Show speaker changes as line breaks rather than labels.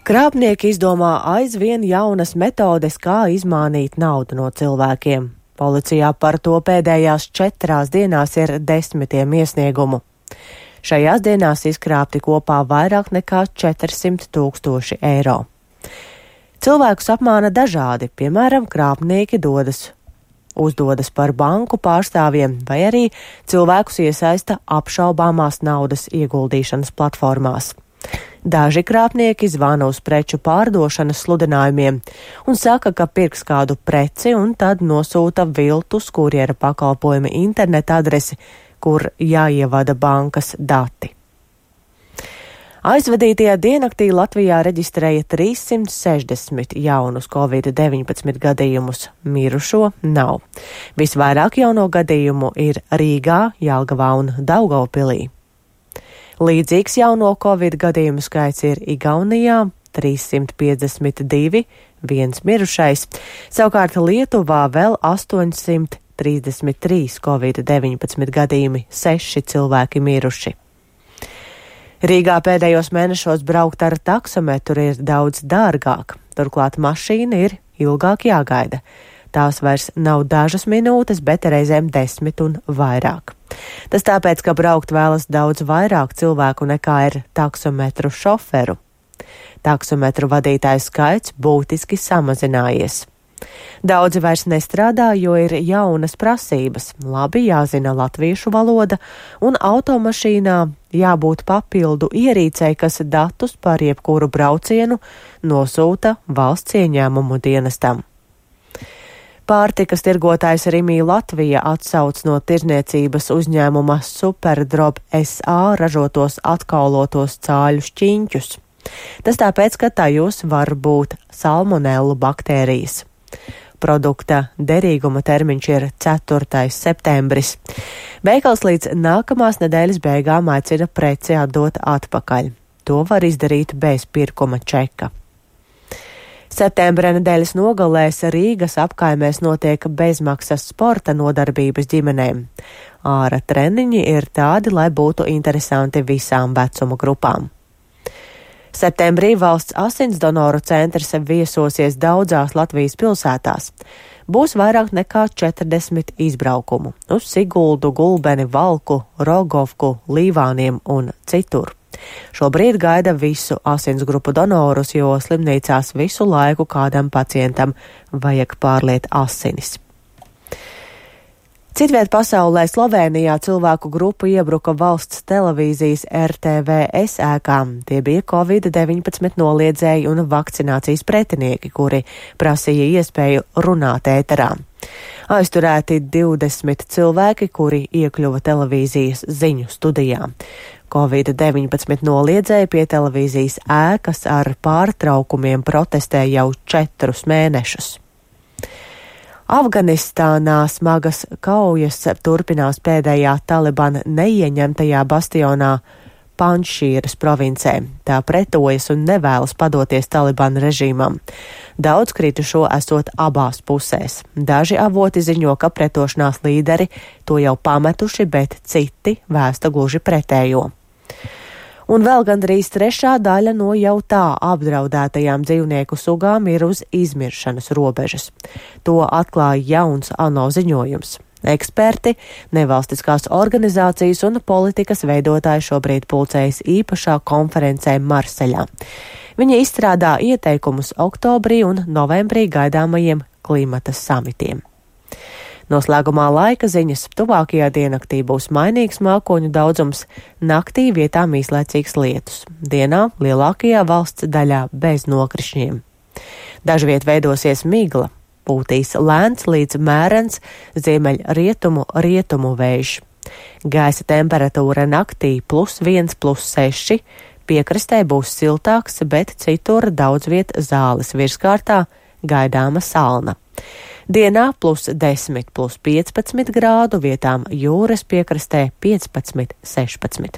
Krāpnieki izdomā aizvien jaunas metodes, kā izmānīt naudu no cilvēkiem. Policijā par to pēdējās 4 dienās ir 10 iesniegumu. Šajās dienās izkrāpti kopā vairāk nekā 400 000 eiro. Cilvēkus apmāna dažādi, piemēram, krāpnieki uzdodas par banku pārstāvjiem vai arī cilvēkus iesaista apšaubāmās naudas ieguldīšanas platformās. Daži krāpnieki zvana uz preču pārdošanas sludinājumiem un saka, ka pirks kādu preci un tad nosūta viltus kurjera pakalpojuma interneta adresi, kur jāievada bankas dati. Aizvadītajā diennaktī Latvijā reģistrēja 360 jaunus Covid-19 gadījumus, mirušo nav. Visvairāk jauno gadījumu ir Rīgā, Jelgavā un Daugavpilī. Līdzīgs jauno Covid gadījumu skaits ir Igaunijā 352, 1 mirušais, savukārt Lietuvā vēl 833 Covid-19 gadījumi, 6 cilvēki miruši. Rīgā pēdējos mēnešos braukt ar taksometru ir daudz dārgāk, turklāt mašīna ir ilgāk jāgaida. Tās vairs nav dažas minūtes, bet reizēm 10 un vairāk. Tas tāpēc, ka braukt vēlas daudz vairāk cilvēku nekā ir taksometru šoferu. Taksometru vadītāju skaits būtiski samazinājies. Daudzi vairs nestrādā, jo ir jaunas prasības, labi jāzina latviešu valoda un automašīnā jābūt papildu ierīcei, kas datus par jebkuru braucienu nosūta valsts ieņēmumu dienestam. Pārtikas tirgotājs Rimi Latvija atsauc no tirzniecības uzņēmuma Superdrop SA ražotos atkaulotos cāļu šķiņķus. Tas tāpēc, ka tajos var būt salmonellu baktērijas. Produkta derīguma termiņš ir 4. septembris. Veikals līdz nākamās nedēļas beigām aicina preci atdot atpakaļ. To var izdarīt bez pirkuma čeka. Septembra nedēļas nogalēs Rīgas apkaimēs notiek bezmaksas sporta nodarbības ģimenēm. Āra treniņi ir tādi, lai būtu interesanti visām vecuma grupām. Septembrī valsts asinsdonoru centrs viesosies daudzās Latvijas pilsētās. Būs vairāk nekā 40 izbraukumu uz Siguldu, Gulbeni, Valku, Rogovku, Līvāniem un citur. Šobrīd gaida visu asinsgrupu donorus, jo slimnīcās visu laiku kādam pacientam vajag pārliet asinis. Citviet pasaulē Slovēnijā cilvēku grupu iebruka valsts televīzijas RTVS ēkām. Tie bija Covid-19 noliedzēji un vakcinācijas pretinieki, kuri prasīja iespēju runāt ēterā. Aizturēti 20 cilvēki, kuri iekļuva televīzijas ziņu studijā. Covid-19 noliedzēji pie televīzijas ēkas ar pārtraukumiem protestē jau 4 mēnešus. Afganistānā smagas kaujas turpinās pēdējā Talibana neieņemtajā bastionā Panšīras provincē. Tā pretojas un nevēlas padoties Talibana režīmam. Daudz kritušo esot abās pusēs. Daži avoti ziņo, ka pretošanās līderi to jau pametuši, bet citi vēsta gluži pretējo. Un vēl gandrīz 3/4 daļa no jau tā apdraudētajām dzīvnieku sugām ir uz izmiršanas robežas. To atklāja jauns ANO ziņojums. Eksperti, nevalstiskās organizācijas un politikas veidotāji šobrīd pulcējas īpašā konferencē Marseļā. Viņi izstrādā ieteikumus oktobrī un novembrī gaidāmajiem klimata samitiem. Noslēgumā laika ziņas. Tuvākajā diennaktī būs mainīgs mākoņu daudzums, naktī vietām īslaicīgs lietus. Dienā lielākajā valsts daļā bez nokrišņiem. Dažviet veidosies migla, pūtīs lēns līdz mērens ziemeļrietumu vējš. Gaisa temperatūra naktī +1, +6, piekrastē būs siltāks, bet citur daudz viet zāles virskārtā gaidāma salna. Dienā +10, +15 grādu, vietām jūras piekrastē 15, 16.